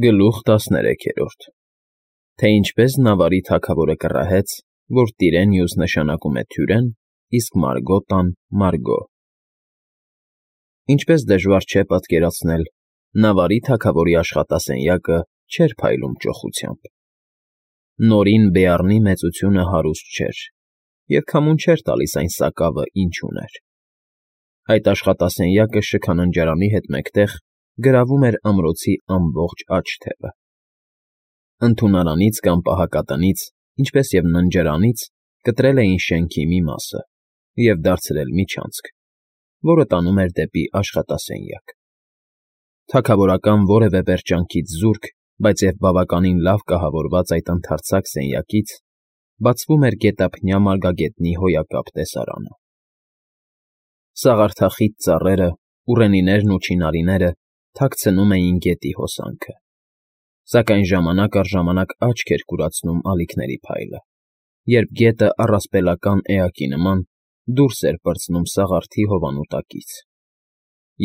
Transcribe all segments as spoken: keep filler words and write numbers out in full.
Գլուխ տասներեքերորդ Թե ինչպես Նավարի թագավորը կռահեց, որ Տիրենյուս նշանակում է թյուրեն, իսկ Մարգոտան՝ Մարգո։ Ինչպես դժվար չէ պատկերացնել, Նավարի թագավորի աշխատասենյակը չէր փայլում ճոխությամբ։ Նորին Բեառնի մեծությունը հարուստ չէր, և քամուն չէր տալիս այն սակավը, ինչ ուներ։ Այդ աշխատասենյակը շքաննջարանի հետ մեկտեղ գրավում էր ամրոցի ամբողջ աջ թևը։ Ընդունարանից կամ պահակատնից, ինչպես և ննջարանից կտրել էին շենքի մի մասը և դարձրել միջանցք, որը տանում էր դեպի աշխատասենյակ։ Թագավորական որևէ պերճանքից զուրկ, բայց և բավականին լավ կահավորված այդ ընդարձակ սենյակից բացվում էր գետափնյա մարգագետնի հոյակապ տեսարանը։ Սաղարթախիտ ծառերը, ուռենիներն ու չինարիները թաքցնում էին գետի հոսանքը, սակայն ժամանակ առ ժամանակ աչք էր կուրացնում ալիքների փայլը, երբ գետը առասպելական էակի նման դուրս էր պրծնում սաղարթի հովանու տակից,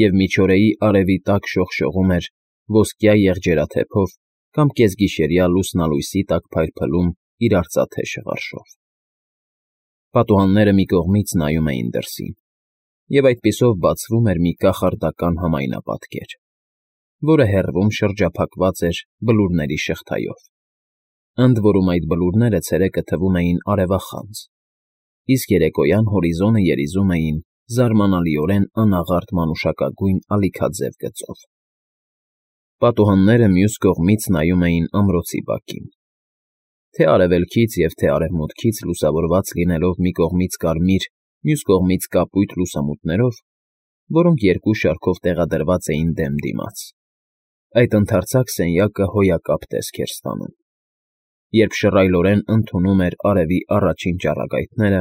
և միջօրեի արևի տակ շողշողում էր ոսկյա եղջերաթեփով կամ կեսգիշերյա լուսնալույսի տակ փայլփլում իր արծաթե շղարշով։ Պատուհանները մի կողմից նայում էին դրսին, և այդպիսով բացվում էր մի կախարդական համայնապատկեր, որը հեռվում շրջափակված էր բլուրների շղթայով, ընդ որում այդ բլուրները ցերեկը թվում էին արևախանձ, իսկ երեկոյան հորիզոնը երիզում էին զարմանալիորեն անաղարտ մանուշակագույն ալիքաձև գծով։ Պատուհանները մյուս կողմից նայում էին ամրոցի բակին, թե արևելքից և թե արևմուտքից լուսավորված լինելով մի կողմից կարմիր, մյուս կողմից կապույտ լուսամուտներով, որոնք երկու շարքով տեղադրված էին դեմ դիմաց, այդ ընդարձակ սենյակը հոյակապ տեսք էր ստանում, երբ շռայլորեն ընդունում էր արևի առաջին ճառագայթները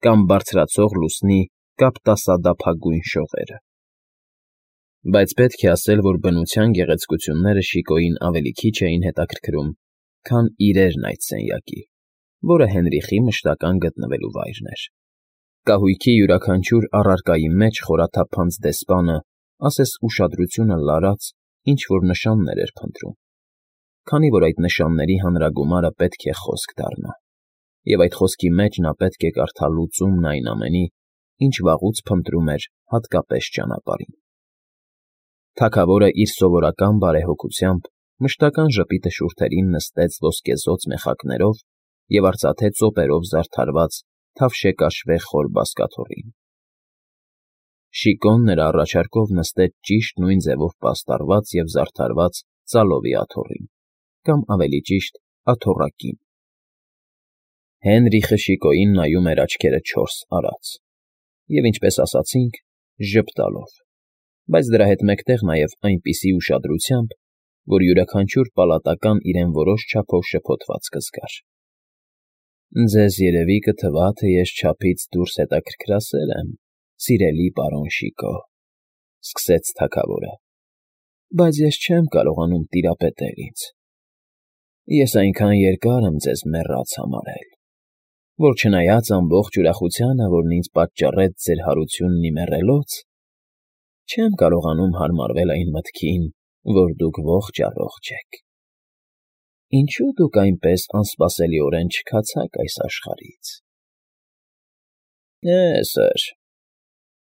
կամ բարձրացող լուսնի կապտասադափագույն շողերը։ Բայց պետք է ասել, որ բնության գեղեցկությունները Շիկոյին ավելի քիչ էին հետաքրքրում, քան իրերն այդ սենյակի, որը Հենրիխի մշտական գտնվելու վայրն էր։ Կահույքի յուրաքանչյուր առարկայի մեջ խորաթափանց դեսպանը, ասես ուշադրությունը լարած, ինչ-որ նշաններ էր փնտրում, քանի որ այդ նշանների հանրագումարը պետք է խոսք դառնա, և այդ խոսքի մեջ նա պետք է կարդա լուծումն այն ամենի, ինչ վաղուց փնտրում էր հատկապես ճանապարհին։ Թագավորը իր սովորական բարեհոգությամբ մշտական ժպիտը շուրթերին նստեց ոսկեզօծ մեխակներով և արծաթե ծոպերով զարդարված թավշեկաշվե խոր բազկաթոռին։ Շիկոն նրա առաջարկով նստեց ճիշտ նույն ձևով պաստառված և զարդարված ծալովի աթոռին, կամ ավելի ճիշտ աթոռակին։ Հենրիխը Շիկոյին նայում էր աչքերը չորս արած և, ինչպես ասացինք, ժպտալով, բայց դրա հետ մեկտեղ նաև այնպիսի ուշադրությամբ, որ յուրաքանչյուր պալատական իրեն որոշ չափով շփոթված կզգար։ «Ձեզ երևի կթվա, թե ես չափից դուրս հետաքրքրասեր եմ, սիրելի պարոն Շիկո,֊ սկսեց թագավորը,֊ բայց ես չեմ կարողանում տիրապետել ինձ։ Ես այնքան երկար եմ ձեզ մեռած համարել, որ չնայած ամբողջ ուրախությանը, որն ինձ պատճառեց ձեր հարությունն ի մեռելոց, չեմ կարողանում հարմարվել այն մտքին, որ դուք ողջ֊առողջ եք։ Ինչո՞ւ դուք այնպես անսպասելիորեն չքացաք այս աշխարհից»։ «Է՜, սըր,֊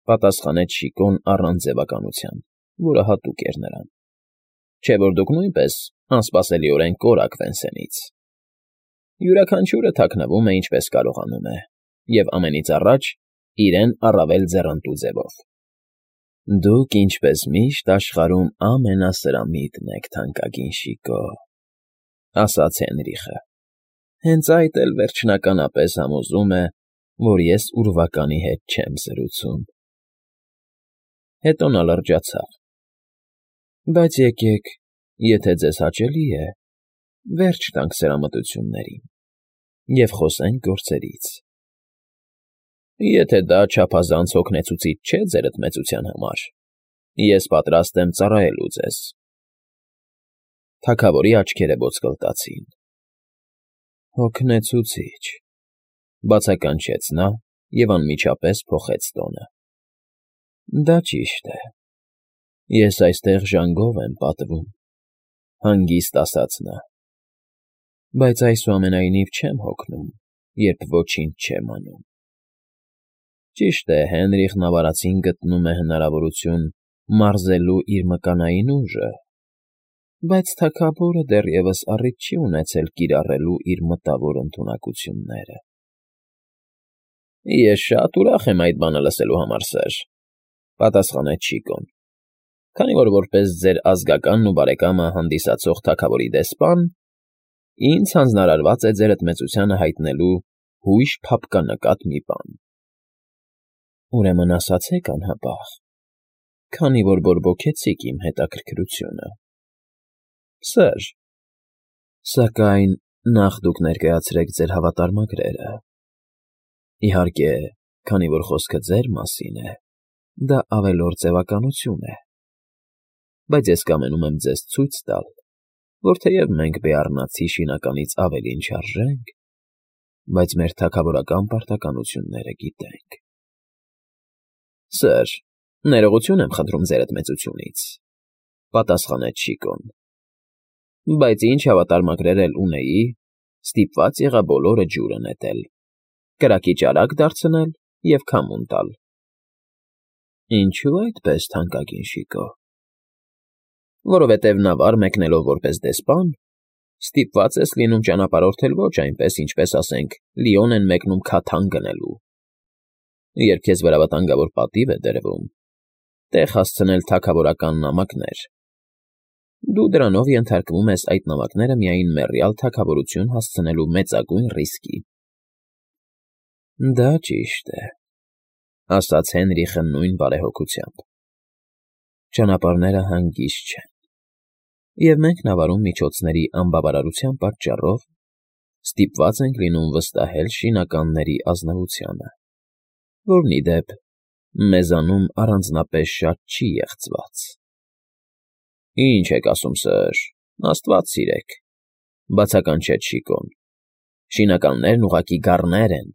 պատասխանեց Շիկոն առանց ձևականության, որը հատուկ էր նրան,֊ չէ՞ որ դուք նույնպես անսպասելիորեն կորաք Վենսենից։ Յուրաքանչյուրը թաքնվում է, ինչպես կարողանում է, և ամենից առաջ իրեն առավել ձեռնտու ձևով։ Դուք, ինչպես միշտ, աշխարհում ամենասրամիտն եք, թանկագին Շիկո,֊ ասաց Հենրիխը։ Հենց այդ էլ վերջնականապես համոզում է, որ ես ուրվականի հետ չեմ զրուցում։ Հետո նա լրջացավ։ «Բայց եկեք, եթե ձեզ հաճելի է, վերջ տանք սրամտություններին և խոսենք գործերից»։ «Եթե դա չափազանց հոգնեցուցիչ չէ ձերդ մեծության համար, ես պատրաստ եմ ծառայելու ձեզ»։ Թագավորի աչքերը ոսկլտացին։ «Հոգնեցուցի՜չ,֊ բացականչեց նա և անմիջապես փոխեց տոնը,֊ դա ճիշտ է, ես այստեղ ժանգով եմ պատվում, Հանգիստ ասաց նա։ Բայց այսուամենայնիվ չեմ հոգնում, երբ ոչինչ չեմ անում։ Ճիշտ է, Հենրիխն ավարածին գտնում է հնարավորություն մարզելու իր մկանային ուժը, բայց թագավորը դեռևս առիթ չի ունեցել կիրառելու իր մտավոր ընդունակությունները։ Ես շատ ուրախ եմ այդ բանը լսելու համար, սըր,֊ պատասխանեց Շիկոն, քանի որ որպես ձեր ազգականն ու բարեկամը հանդիսացող թագավորի դեսպան, ինձ հանձնարարված է ձեր ընդմեծությանը հայտնելու հույժ փափկանկատ մի բան։ Ուրեմն ասացեք անհապաղ, քանի որ բորբոքեցիք իմ հետաքրքրությունը։ Սըր, սակայն նախ դուք ներկայացրեք ձեր հավատարմագրերը։ Իհարկե, քանի որ խոսքը ձեր մասին է, դա ավելորդ ձևականություն է, բայց ես կամենում եմ ձեզ ցույց տալ, որ թեև մենք բեառնացի շինականից ավելին չարժենք, բայց մեր թագավորական պարտականությունները գիտենք։ Սըր, ներողություն եմ խնդրում ձեր ընդմեծությունից,֊ պատասխանեց Շիկոն, բայց ինչ հավատարմագրեր էլ ունեի, ստիպված եղա բոլորը ջուրը նետել, կրակի ճարակ դարձնել և քամուն տալ։ Ինչո՞ւ այդպես, թանկագին Շիկո։ Որովհետև նավար մեկնելով որպես դեսպան, ստիպված ես լինում ճանապարհորդել ոչ այնպես, ինչպես, ասենք, Լիոն են մեկնում քաթան գնելու։ Երբ քեզ վրա վտանգավոր պատիվ է դրվում, տեղ հասցնել թագավորական նամակներ, դու դրանով ենթարկվում ես այդ նամակները միայն մեռյալ թագավորություն հասցնելու մեծագույն ռիսկի։ Դա ճիշտ է,֊ ասաց Հենրիխը նույն բարեհոգությամբ։ Ճանապարհները հանգիստ չեն, և մենք նավարում միջոցների անբավարարության պատճառով ստիպված ենք լինում վստահել շինականների ազնվությանը, որն, ի դեպ, մեզանում առանձնապես շատ չի եղծված։ Ինչ եք ասում, սըր, աստված սիրեք,֊ բացականչեց Շիկոն։ Շինականներն ուղղակի գառներ են,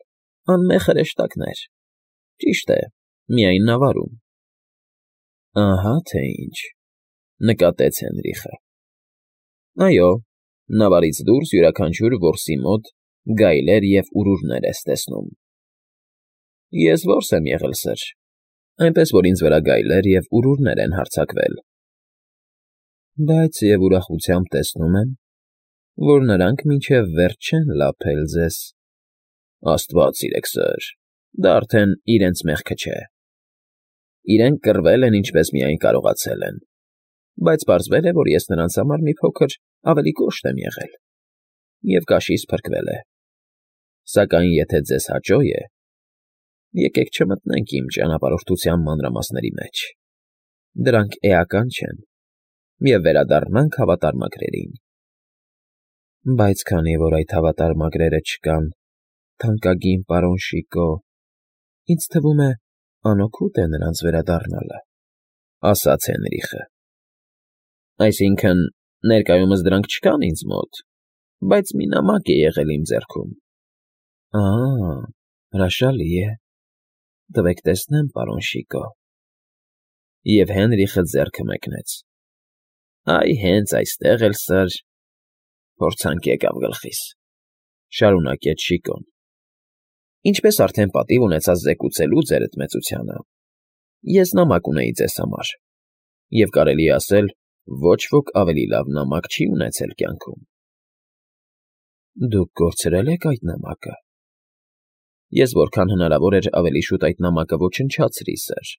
անմեղ հրեշտակներ։ Ճիշտ է, միայն նավարում։ Ահա թե ինչ,֊ նկատեց Հենրիխը։ Այո, նավարից դուրս յուրաքանչյուր որսի մոտ գայլեր ևուրուրներ ես տեսնում։ Ես որս եմ եղել, սըր, այնպես որ ինձ վրա գայլեր ևուրուրներ են հարձակվել։ Բայց և ուրախությամբ տեսնում եմ, որ նրանք մինչև վերջ չեն լափել ձեզ։ Աստված սիրեք, սըր, դա արդեն իրենց մեղքը չէ։ Իրենք կռվել են, ինչպես միայն կարողացել են, բայց պարզվել է, որ ես նրանց համար մի փոքր ավելի կոշտ եմ եղել, և կաշիս փրկվել է։ Սակայն եթե ձեզ հաճո է, եկեք չմտնենք իմ ճանապարհորդության մանրամասների մեջ. դրանք էական չեն, և վերադառնանք հավատարմագրերին։ Բայց քանի որ այդ հավատարմագրերը չկան, թանկագին պարոն Շիկո, ինձ թվում է, անօգուտ է նրանց վերադառնալը,֊ ասաց Հենրիխը։ Այսինքն, ներկայումս դրանք չկան ինձ մոտ, բայց մի նամակ է եղել իմ ձեռքում։ Ա՜, հրաշալի է, տվեք տեսնեմ, պարոն Շիկո։ Եվ Հենրիխը ձեռքը մեկնեց։ Այ հենց այստեղ էլ, սըր, փորձանք եկավ գլխիս,֊ շարունակեց Շիկոն։ Ինչպես արդեն պատիվ ունեցած զեկուցելու ձեր ընդմեծությանը, ես նամակ ունեի ձեզ համար, և կարելի է ասել, ոչ ոք ավելի լավ նամակ չի ունեցել կյանքում։ Դուք կորցրել եք այդ նամակը։ Ես որքան հնարավոր էր ավելի շուտ այդ նամակը ոչնչացրի, սըր,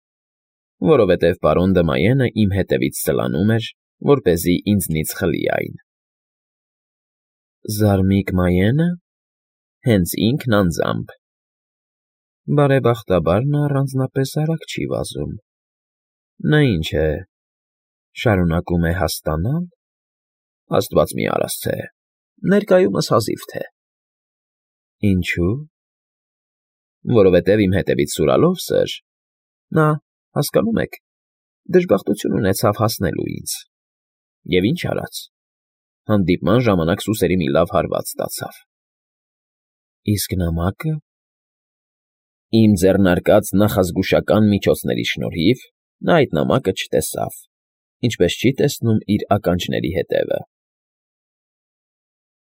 որովհետև պարոն Դմայենը իմ հետևից սլանում էր, որպեսզի ինձնից խլի այն։ Զարմիկ Մայենը, հենց ինքն անձամբ։ Բարեբախտաբար նա առանձնապես արագ չի վազում։ Նա ինչ է, շարունակում է հասկանալ։ Աստված մի արասցե, ներկայումս հազիվ թե։ Ինչո՞ւ։ Որովհետև իմ հետևից սուրալով, սըր, նա, հասկանում եք, դժբախտություն ունեցավ հասնելու ինձ։ Եվ ինչ արած, հանդիպման ժամանակ սուսերի մի լավ հարված ստացավ։ Իսկ նամակը։ Իմ ձեռնարկած նախազգուշական միջոցների շնորհիվ նա այդ նամակը չտեսավ, ինչպես չի տեսնում իր ականջների հետևը։